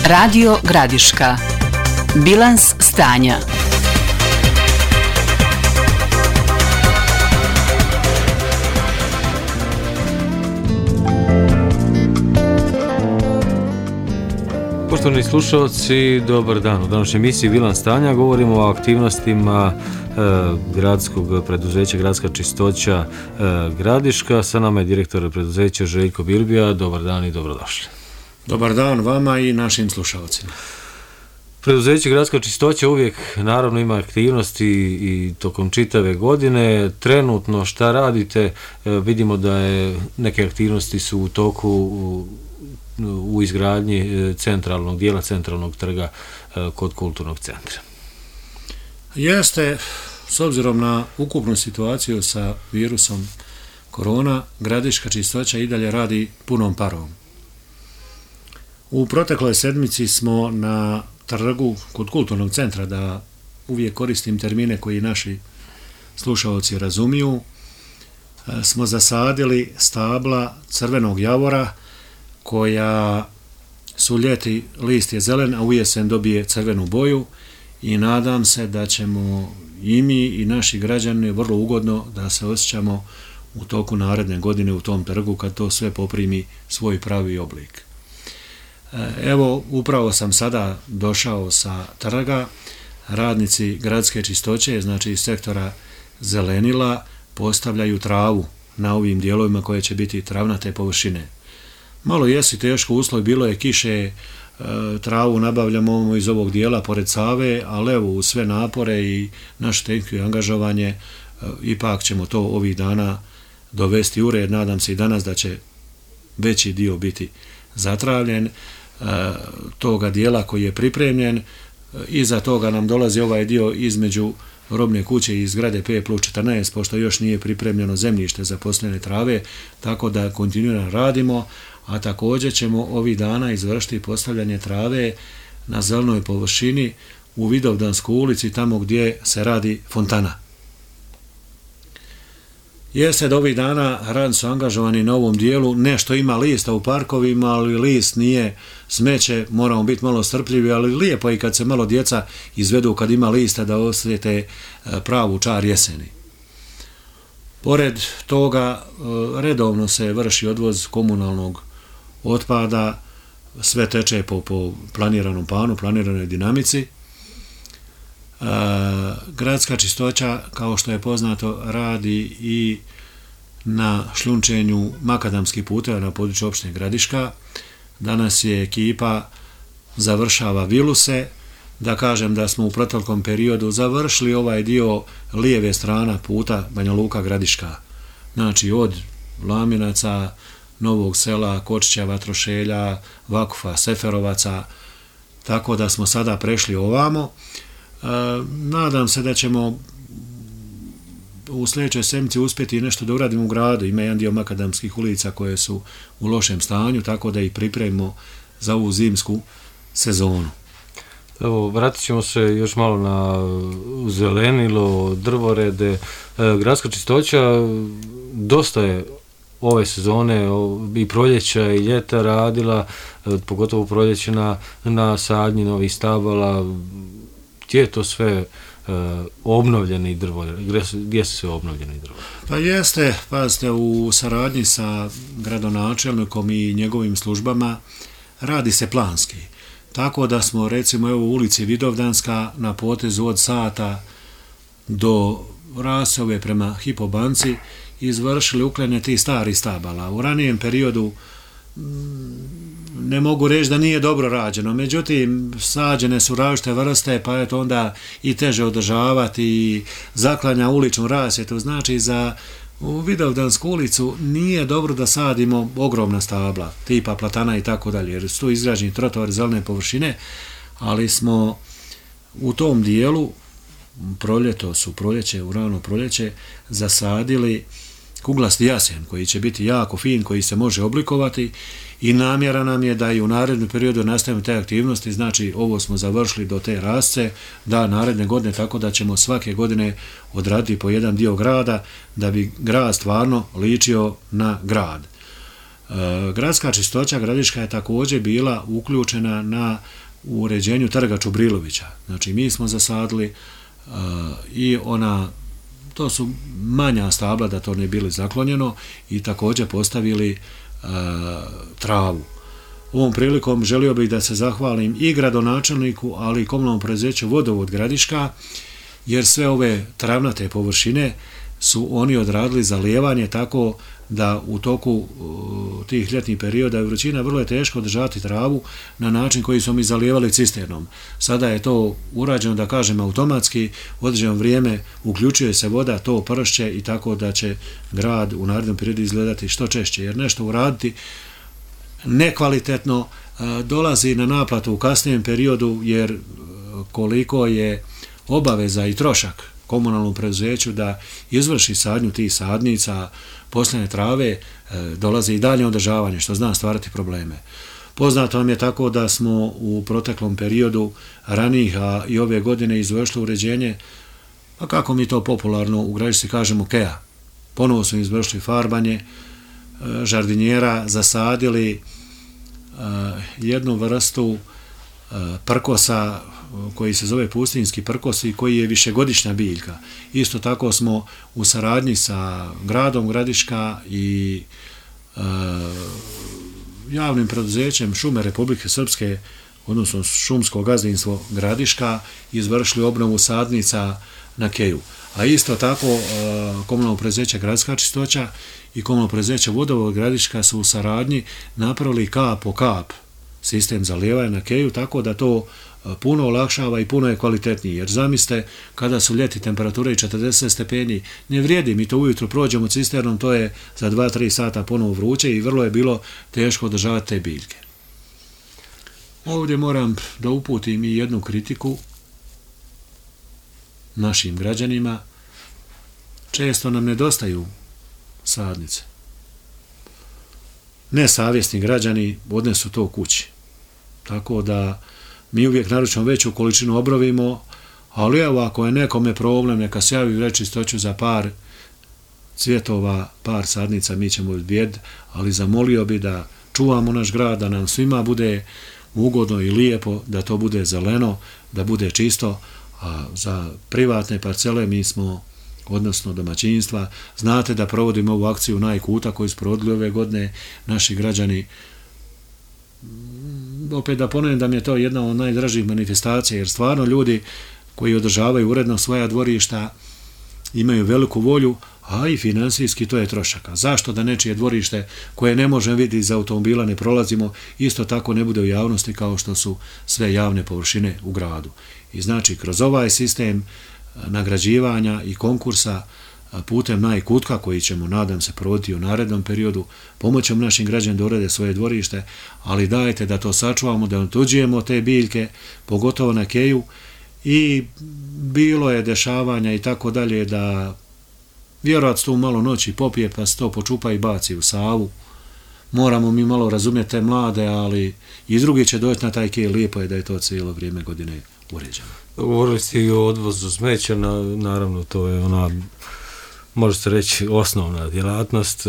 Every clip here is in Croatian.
Radio Gradiška. Bilans stanja. Poštovani slušalci, dobar dan. U današnjoj emisiji Bilans stanja govorimo o aktivnostima gradskog preduzeća Gradska čistoća Gradiška. Sa nama je direktor preduzeća Željko Bilbija. Dobar dan i dobrodošli. Dobar dan vama i našim slušalcima. Preduzeće Gradska čistoća uvijek naravno ima aktivnosti i tokom čitave godine. Trenutno šta radite? Vidimo da je neke aktivnosti su u toku u izgradnji centralnog dijela, centralnog trga kod kulturnog centra. Jeste, s obzirom na ukupnu situaciju sa virusom korona, Gradiška čistoća i dalje radi punom parom. U protekloj sedmici smo na trgu kod kulturnog centra, da uvijek koristim termine koji naši slušalci razumiju, smo zasadili stabla crvenog javora koja su ljeti, list je zelen, a u jesen dobije crvenu boju i nadam se da ćemo i mi i naši građani vrlo ugodno da se osjećamo u toku naredne godine u tom trgu kad to sve poprimi svoj pravi oblik. Evo, upravo sam sada došao sa trga, radnici gradske čistoće, znači iz sektora zelenila, postavljaju travu na ovim dijelovima koje će biti travnate površine. Malo jesi teško uslov, bilo je kiše, travu nabavljamo iz ovog dijela pored Save, ali evo u sve napore i naše tehničko angažovanje ipak ćemo to ovih dana dovesti u red. Nadam se i danas da će veći dio biti zatravljen toga dijela koji je pripremljen. Iza toga nam dolazi ovaj dio između robne kuće i zgrade P+14, pošto još nije pripremljeno zemljište za posljedne trave, tako da kontinuirano radimo, a također ćemo ovih dana izvršiti postavljanje trave na zelenoj površini u Vidovdanskoj ulici, tamo gdje se radi fontana. Jeste da ovih dana radnici su angažovani na ovom dijelu, nešto ima lista u parkovima, ali list nije smeće, moramo biti malo strpljivi, ali lijepo je i kad se malo djeca izvedu kad ima lista da osjete pravu čar jeseni. Pored toga redovno se vrši odvoz komunalnog otpada, sve teče po planiranom planu, planiranoj dinamici. Gradska čistoća, kao što je poznato, radi i na šljunčenju makadamskih puteva na području opštine Gradiška. Danas je ekipa završava viluse, da kažem da smo u proteklom periodu završili ovaj dio lijeve strana puta Banja Luka Gradiška, znači od Laminaca, Novog Sela, Kočića, Vatrošelja, Vakufa, Seferovaca, tako da smo sada prešli ovamo. Nadam se da ćemo u sljedećoj sedmici uspjeti nešto da uradimo u gradu. Ima jedan dio makadamskih ulica koje su u lošem stanju, tako da ih pripremimo za ovu zimsku sezonu. Evo, vratit ćemo se još malo na zelenilo, drvorede. Gradska čistoća dosta je ove sezone i proljeća i ljeta radila, pogotovo proljeće na sadnji novih stabala. Gdje je to sve obnovljeni drvoredi? Gdje su sve obnovljeni drvoredi? Pa jeste, pazite, u saradnji sa gradonačelnikom i njegovim službama radi se planski. Tako da smo, recimo, evo u ulici Vidovdanska na potezu od Sata do Rasove prema Hipobanci izvršili uklanjanje tih starih stabala. U ranijem periodu ne mogu reći da nije dobro rađeno, međutim sađene su različite vrste, pa je to onda i teže održavati i zaklanja uličnu rasvjetu. Znači za u Vidovdansku ulicu nije dobro da sadimo ogromna stabla, tipa platana i tako dalje, jer su tu izgrađeni trotovari, zelene površine, ali smo u tom dijelu u rano proljeće zasadili kuglasti jasen koji će biti jako fin, koji se može oblikovati i namjera nam je da i u narednom periodu nastavimo te aktivnosti, znači ovo smo završili do te rasce, da naredne godine, tako da ćemo svake godine odraditi po jedan dio grada, da bi grad stvarno ličio na grad. Gradska čistoća Gradiška je također bila uključena na uređenju trga Čubrilovića. Znači mi smo zasadili i to su manja stabla da to ne bili zaklonjeno i također postavili travu. Ovom prilikom želio bih da se zahvalim i gradonačelniku, ali i komunalnom preduzeću Vodovod Gradiška, jer sve ove travnate površine su oni odradili zalijevanje, tako da u toku tih ljetnih perioda i vrućina vrlo je teško održati travu na način koji smo mi zalijevali cisternom. Sada je to urađeno, da kažem, automatski, u određeno vrijeme uključuje se voda, to pršće i tako da će grad u narednom periodu izgledati što češće, jer nešto uraditi nekvalitetno dolazi na naplatu u kasnijem periodu, jer koliko je obaveza i trošak komunalnom preduzeću da izvrši sadnju tih sadnica, posljednje trave, dolazi i dalje održavanje, što zna stvarati probleme. Poznato vam je tako da smo u proteklom periodu ranijih, a i ove godine izvršili uređenje, pa kako mi to popularno u Gradišci kažemo, keja. Ponovo smo izvršili farbanje žardinjera, zasadili jednu vrstu prkosa koji se zove pustinjski prkos i koji je višegodišnja biljka. Isto tako smo u saradnji sa gradom Gradiška i javnim preduzećem Šume Republike Srpske, odnosno šumsko gazdinstvo Gradiška, izvršili obnovu sadnica na keju. A isto tako komunalno preduzeće Gradska čistoća i komunalno preduzeće Vodovod Gradiška su u saradnji napravili kap po kap sistem zalijevanja na keju, tako da to puno olakšava i puno je kvalitetniji, jer zamislite kada su ljeti temperature i 40 stepeni, ne vrijedi, mi to ujutro prođemo cisternom, to je za 2-3 sata ponovo vruće i vrlo je bilo teško održavati te biljke. Ovdje moram da uputim i jednu kritiku našim građanima. Često nam nedostaju sadnice. Nesavjesni građani odnesu to kući. Tako da mi uvijek naručimo veću količinu obrovimo, ali evo ako je nekome problem, neka se javi Grad Čistoću za par cvjetova, par sadnica, mi ćemo odbijeti, ali zamolio bi da čuvamo naš grad, da nam svima bude ugodno i lijepo, da to bude zeleno, da bude čisto, a za privatne parcele mi smo, odnosno domaćinstva, znate da provodimo ovu akciju Najkuta koju su provodili ove godine naši građani. Opet da ponovim da mi je to jedna od najdražih manifestacija, jer stvarno ljudi koji održavaju uredno svoja dvorišta imaju veliku volju, a i finansijski to je trošaka. Zašto da nečije dvorište koje ne možemo vidjeti iz automobila ne prolazimo, isto tako ne bude u javnosti kao što su sve javne površine u gradu. I znači kroz ovaj sistem nagrađivanja i konkursa putem Najkutka, koji ćemo, nadam se, provoditi u narednom periodu, pomoćemo našim građanima da urede svoje dvorište, ali dajte da to sačuvamo, da otuđujemo te biljke, pogotovo na keju, i bilo je dešavanja i tako dalje da vjerojatno tu malo noći popije pa se to počupa i baci u Savu. Moramo mi malo razumjeti te mlade, ali i drugi će doći na taj kej, lijepo je da je to cijelo vrijeme godine uređeno. Govorili ste i o odvozu smeća, naravno to je ona, može se reći, osnovna djelatnost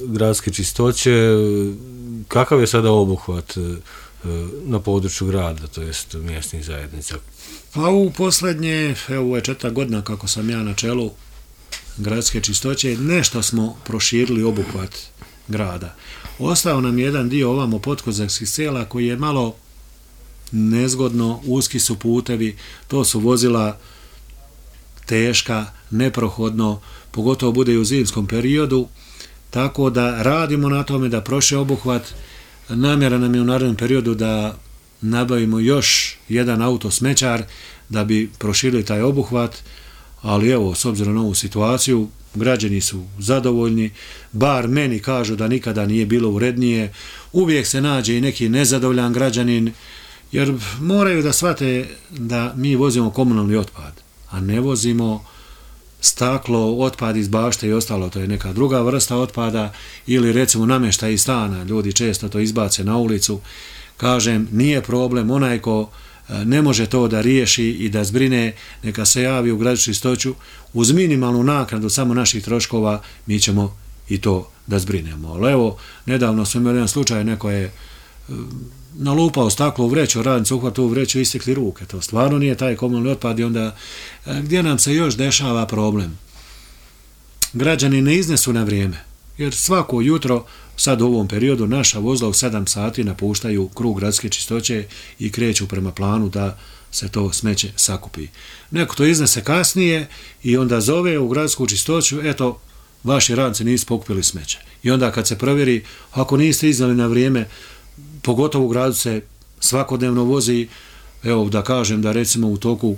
gradske čistoće. Kakav je sada obuhvat na području grada, to jest mjesnih zajednica? Pa u posljednje, evo je 4 godina kako sam ja na čelu gradske čistoće, nešto smo proširili obuhvat grada. Ostao nam jedan dio ovamo Potkozarskih sela koji je malo nezgodno, uski su putevi, to su vozila teška, neprohodno, pogotovo bude i u zimskom periodu, tako da radimo na tome da proširi obuhvat. Namjera nam je u narednom periodu da nabavimo još jedan auto smećar da bi proširili taj obuhvat, ali evo, s obzirom na ovu situaciju, građani su zadovoljni, bar meni kažu da nikada nije bilo urednije, uvijek se nađe i neki nezadovoljan građanin, jer moraju da shvate da mi vozimo komunalni otpad, a ne vozimo staklo, otpad iz bašte i ostalo, to je neka druga vrsta otpada, ili recimo namještaj iz stana, ljudi često to izbace na ulicu. Kažem, nije problem, onaj ko ne može to da riješi i da zbrine, neka se javi u Gradišku Čistoću, uz minimalnu naknadu samo naših troškova mi ćemo i to da zbrinemo. Ali evo, nedavno smo imali jedan slučaj, neko je nalupao staklo u vreću, radnicu uhvatio u vreću i istekli ruke. To stvarno nije taj komunalni otpad i onda gdje nam se još dešava problem? Građani ne iznesu na vrijeme, jer svako jutro, sad u ovom periodu, naša vozila u 7 sati napuštaju krug gradske čistoće i kreću prema planu da se to smeće sakupi. Neko to iznese kasnije i onda zove u gradsku čistoću, eto, vaši radnici nisu pokupili smeće. I onda kad se provjeri, ako niste iznali na vrijeme, pogotovo u gradu se svakodnevno vozi, evo da kažem da recimo u toku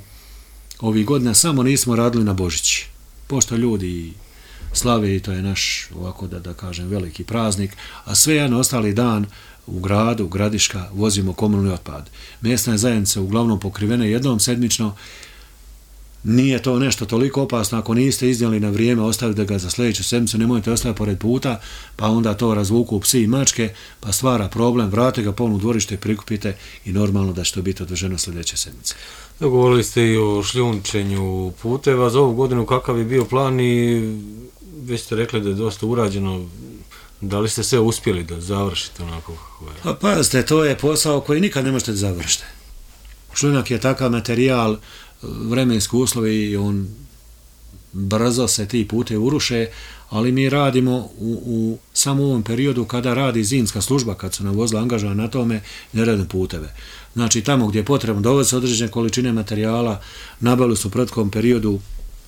ovih godina samo nismo radili na Božić. Pošto ljudi slave i to je naš, ovako da kažem, veliki praznik, a sve jedan ostali dan u gradu, Gradiška, vozimo komunalni otpad. Mjesne zajednice uglavnom pokrivene jednom sedmično, nije to nešto toliko opasno, ako niste iznijeli na vrijeme, ostavite ga za sljedeću sedmicu, nemojte ostaviti pored puta, pa onda to razvuku psi i mačke, pa stvara problem, vrate ga ponovno u dvorište, prikupite i normalno da će to biti održano sljedeće sedmice. Govorili ste i o šljunčenju puteva za ovu godinu, kakav je bio plan i već ste rekli da je dosta urađeno, da li ste sve uspjeli da završite onako kako je? Pa pazite, to je posao koji nikad ne možete da završite. Šljunak je takav materijal, vremenski uslovi i on brzo se ti putevi uruše, ali mi radimo u samo ovom periodu kada radi zimska služba, kad su nam vozila angažovana na tome, ne radimo puteve. Znači tamo gdje je potrebno dovesti se određene količine materijala, nabavili su u prethodnom periodu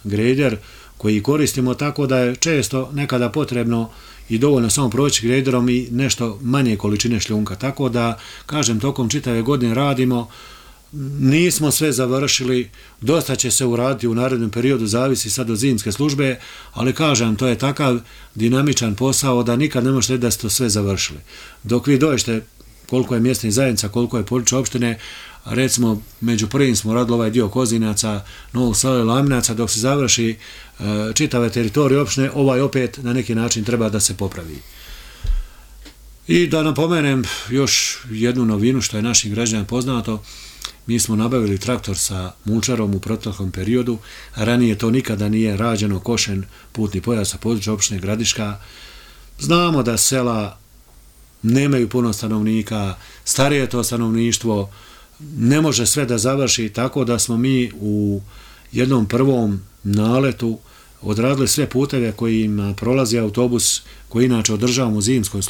grejder koji koristimo, tako da je često nekada potrebno i dovoljno samo proći grejderom i nešto manje količine šljunka. Tako da, kažem, tokom čitave godine radimo, nismo sve završili, dosta će se uraditi u narednom periodu, zavisi sad od zimske službe, ali kažem, to je takav dinamičan posao da nikad ne možete da ste to sve završili. Dok vi dođete koliko je mjesnih zajednica, koliko je područje opštine, recimo među prvim smo radili ovaj dio Kozinaca, Novog Sela i Laminaca, dok se završi čitave teritorije opštine, ovaj opet na neki način treba da se popravi. I da napomenem još jednu novinu što je našim građanima poznato, mi smo nabavili traktor sa mulčarom u proteklom periodu, ranije to nikada nije rađeno, košen putni pojas sa područja opštine Gradiška. Znamo da sela nemaju puno stanovnika, starije to stanovništvo, ne može sve da završi, tako da smo mi u jednom prvom naletu odradili sve puteve kojim prolazi autobus koji inače održavamo u zimskoj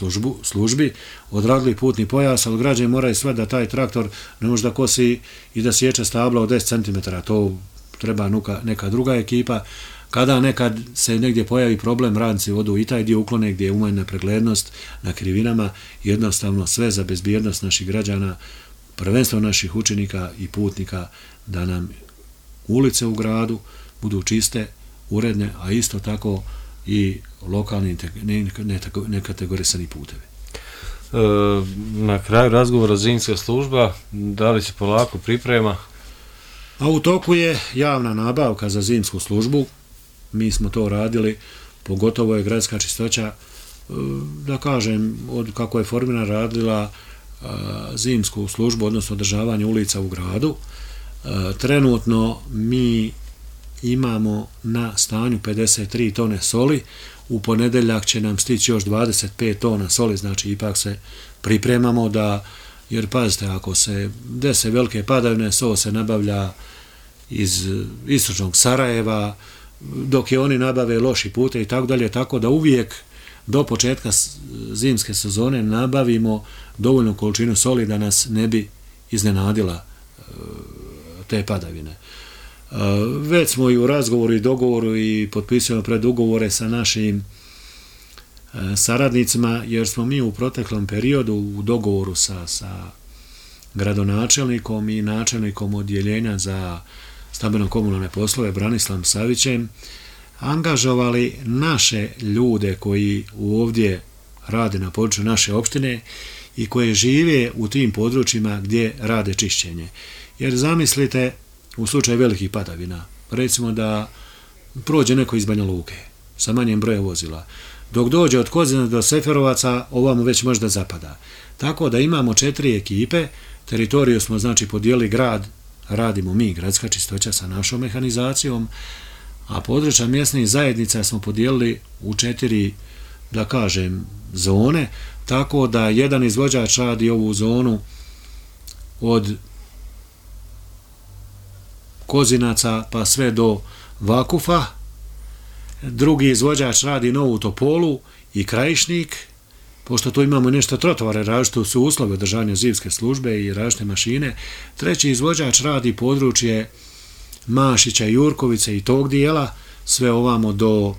službi, odradili putni pojas, ali građani moraju sve da taj traktor ne može da kosi i da sječe stabla od 10 cm, to treba neka druga ekipa. Kada nekad se negdje pojavi problem, radnici odu i taj dio uklone gdje je umanjena preglednost na krivinama, jednostavno sve za bezbjednost naših građana, prvenstveno naših učenika i putnika, da nam ulice u gradu budu čiste, uredne, a isto tako i lokalni nekategorisani putevi. Na kraju razgovora zimska služba, da li se polako priprema? A u toku je javna nabavka za zimsku službu, mi smo to radili, pogotovo je gradska čistoća, da kažem, od kako je formirana radila zimsku službu, odnosno održavanje ulica u gradu. Trenutno mi imamo na stanju 53 tone soli, u ponedeljak će nam stići još 25 tona soli, znači ipak se pripremamo da, jer pazite, ako se dese velike padavine, sol se nabavlja iz istočnog Sarajeva, dok je oni nabave loši pute i tako dalje, tako da uvijek do početka zimske sezone nabavimo dovoljnu količinu soli da nas ne bi iznenadila te padavine. Već smo i u razgovoru i dogovoru i potpisujemo predugovore sa našim saradnicima, jer smo mi u proteklom periodu u dogovoru sa gradonačelnikom i načelnikom odjeljenja za stambeno-komunalne poslove Branislavom Savićem angažovali naše ljude koji ovdje rade na području naše opštine i koje žive u tim područjima gdje rade čišćenje. Jer zamislite, u slučaju velikih padavina, recimo da prođe neko iz Banja Luke sa manjem brojem vozila. Dok dođe od Kozina do Seferovaca, ovamo već možda zapada. Tako da imamo 4 ekipe, teritoriju smo znači podijelili grad, radimo mi, gradska čistoća sa našom mehanizacijom, a područja mjesnih zajednica smo podijelili u 4, da kažem, zone, tako da jedan izvođač radi ovu zonu od Kozinaca pa sve do Vakufa, drugi izvođač radi Novu Topolu i Krajišnik, pošto tu imamo nešto trotovare, različite su uslovi održanja zimske službe i različite mašine. Treći izvođač radi područje Mašića, Jurkovice i tog dijela, sve ovamo do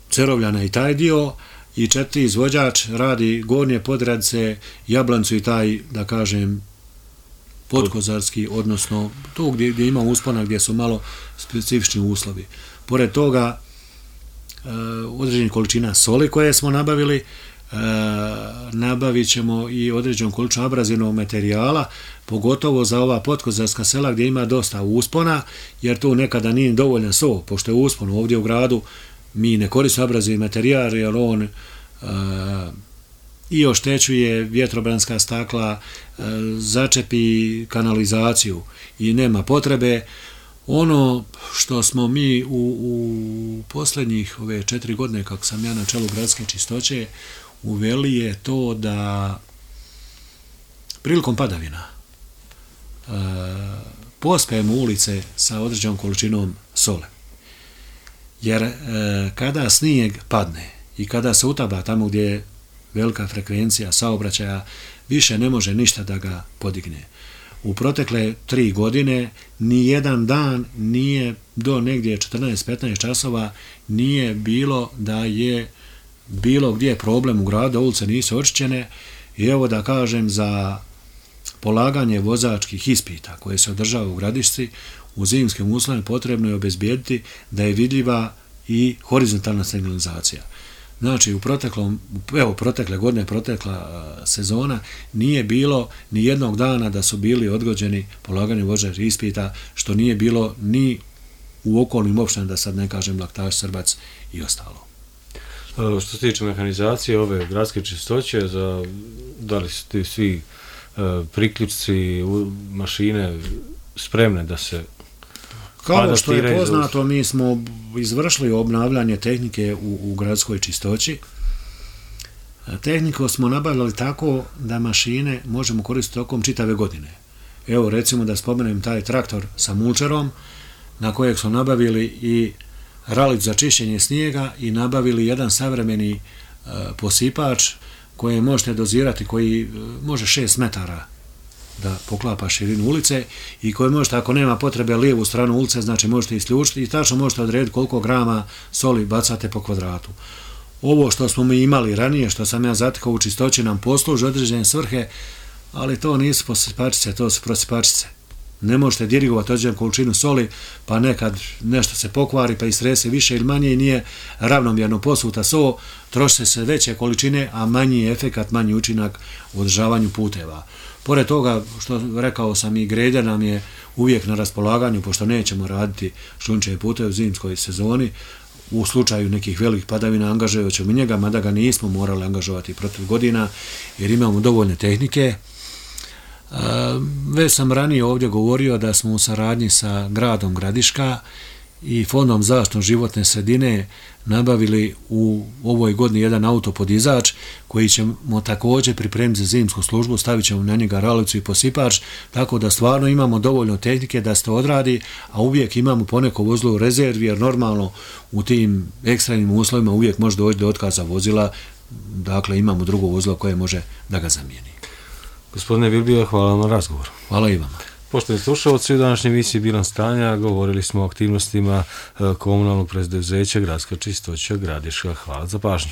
Cerovljana i taj dio, i četiri izvođač radi Gornje Podradce, Jablancu i taj, da kažem, podkozarski, odnosno tu gdje ima uspona, gdje su malo specifični uslovi. Pored toga, određenih količina soli koje smo nabavili, nabavit ćemo i određenu količinu abrazivnog materijala, pogotovo za ova podkozarska sela gdje ima dosta uspona, jer tu nekada nije dovoljan so, pošto je uspon ovdje u gradu, mi ne koristimo abrazivni materijal, jer on i oštećuje vjetrobranska stakla, začepi kanalizaciju i nema potrebe. Ono što smo mi u posljednjih ove 4 godine, kako sam ja na čelu gradske čistoće, uveli je to da prilikom padavina pospejemo ulice sa određenom količinom sole. Jer kada snijeg padne i kada se utaba tamo gdje je velika frekvencija saobraćaja, više ne može ništa da ga podigne. U protekle 3 godine ni jedan dan nije do negdje 14-15 časova nije bilo da je bilo gdje problem u gradu, ulice nisu očišćene, i evo da kažem, za polaganje vozačkih ispita koje se održava u gradišci u zimskim uslovima potrebno je obezbijediti da je vidljiva i horizontalna signalizacija. Znači, protekle godine, protekla sezona, nije bilo ni jednog dana da su bili odgođeni polaganje vozačkih ispita, što nije bilo ni u okolnim opštinama, da sad ne kažem Laktaš, Srbac i ostalo. Što se tiče mehanizacije ove gradske čistoće, da li su ti svi priključci, mašine spremne da se kao što je poznato, mi smo izvršili obnavljanje tehnike u gradskoj čistoći. Tehniku smo nabavljali tako da mašine možemo koristiti tokom čitave godine. Evo, recimo da spomenem taj traktor sa mulčerom, na kojeg smo nabavili i ralić za čišćenje snijega i nabavili jedan savremeni posipač koji možete dozirati, koji može 6 metara da poklapa širinu ulice i koji možete, ako nema potrebe lijevu stranu ulice, znači možete isključiti i tačno možete odrediti koliko grama soli bacate po kvadratu. Ovo što smo mi imali ranije, što sam ja zatekao u čistoći, nam posluži određene svrhe, ali to nisu posipačice, to su prosipačice. Ne možete dirigovati određenu količinu soli, pa nekad nešto se pokvari, pa istrese više ili manje i nije ravnomjerno posuta so, troše se veće količine, a manji efekat, manji učinak u održavanju puteva. Pored toga, što rekao sam, i greder nam je uvijek na raspolaganju, pošto nećemo raditi šljunčeve puteve u zimskoj sezoni. U slučaju nekih velikih padavina angažovat ćemo njega, mada ga nismo morali angažovati protiv godina, jer imamo dovoljne tehnike. Već sam ranije ovdje govorio da smo u saradnji sa gradom Gradiška i Fondom zaštite životne sredine nabavili u ovoj godini jedan autopodizač koji ćemo također pripremiti za zimsku službu, stavit ćemo na njega ralicu i posipač, tako da stvarno imamo dovoljno tehnike da se to odradi, a uvijek imamo poneko vozilo u rezervi, jer normalno u tim ekstremnim uslovima uvijek može doći do otkaza vozila, dakle imamo drugo vozilo koje može da ga zamijeni. Gospodine Vilbija, hvala vam na razgovor. Hvala i vama. Poštovani slušalci, u današnjoj emisiji Bilans stanja govorili smo o aktivnostima komunalnog preduzeća Gradska čistoća Gradiška. Hvala za pažnju.